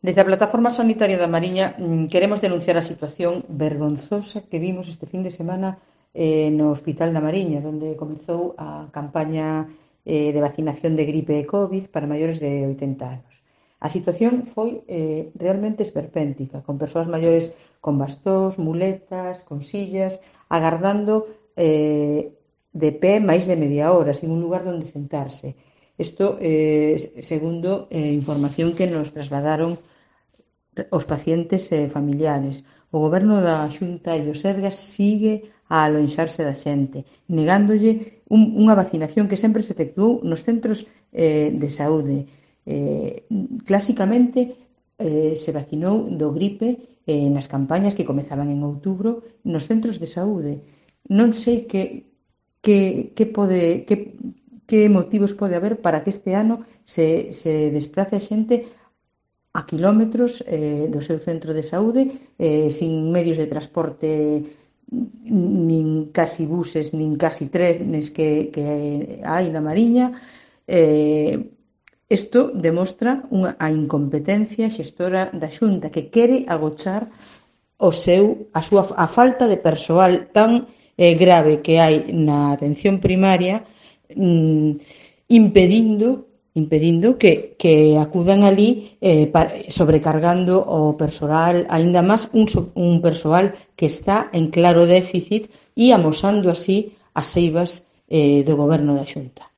Desde a Plataforma Sanitaria da Mariña queremos denunciar a situación vergonzosa que vimos este fin de semana no Hospital da Mariña, onde comezou a campaña de vacinación de gripe e COVID para maiores de 80 anos. A situación foi realmente esperpéntica, con persoas maiores con bastóns, muletas, con sillas, agardando de pé máis de media hora, sin un lugar onde sentarse. Isto, segundo información que nos trasladaron os pacientes e familiares. O Goberno da Xunta e o Sergas sigue a alonxarse da xente, negándolle unha vacinación que sempre se efectuou nos centros de saúde. Clásicamente se vacinou do gripe nas campañas que comezaban en outubro nos centros de saúde. Non sei que motivos pode haber para que este ano se desprace a xente a quilómetros do seu centro de saúde, sin medios de transporte, nin casi buses, nin casi trenes que hai na Mariña. Isto demostra a incompetencia xestora da Xunta, que quere agochar a falta de persoal tan grave que hai na atención primaria, impedindo que acudan alí sobrecargando o persoal, aínda máis un persoal que está en claro déficit e amosando así as eivas do Goberno da Xunta.